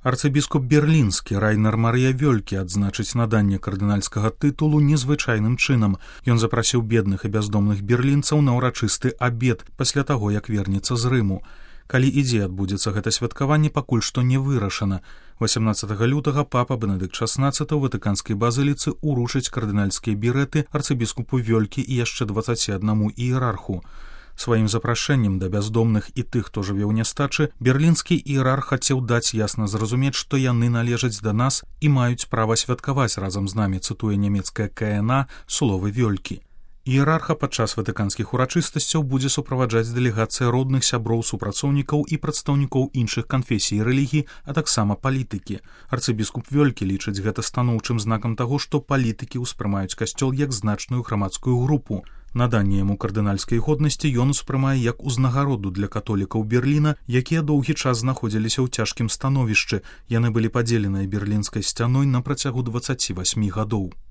Арцыбіскуп берлінскі Райнер Марыя Вёлькі адзначыць наданне кардынальскага тытулу незвычайным чынам. Ён запрасіў бедных і бяздомных берлінцаў на ўрачысты абед пасля таго, як вернецца з Рыму. Калі і дзе адбудзецца гэта святкаванне, пакуль што не вырашана. 18 лютага папа Бенедыкт XVI ў ватыканскай базыліцы уручыць кардынальскія бірэты арцыбіскупу Вёлькі і яшчэ 21 іерарху. Сваім запрашэннем да бяздомных і тых, хто жыве ў нястачы, берлінскі іерарх хацеў даць ясна зразумець, што яны належаць да нас і маюць права святкаваць разам з намі, цытуе нямецкая КНА словы Вёлькі. Іерарха падчас ватыканскіх урачыстасцяў будзе суправаджаць дэлегацыя родных, сяброў, супрацоўнікаў і прадстаўнікоў іншых канфесій і рэлігій, а таксама палітыкі. Арцыбіскуп Вёлькі лічыць гэта станоўчым знакам таго, што палітыкі ўспрымаюць касцёл як значную грамадскую групу. Наданне яму кардынальскай годнасці ён успрымае як узнагароду для католікаў Берліна, якія доўгі час знаходзіліся ў цяжкім становішчы. Яны былі падзеленыя берлінскай сцяной на працягу 28 гадоў.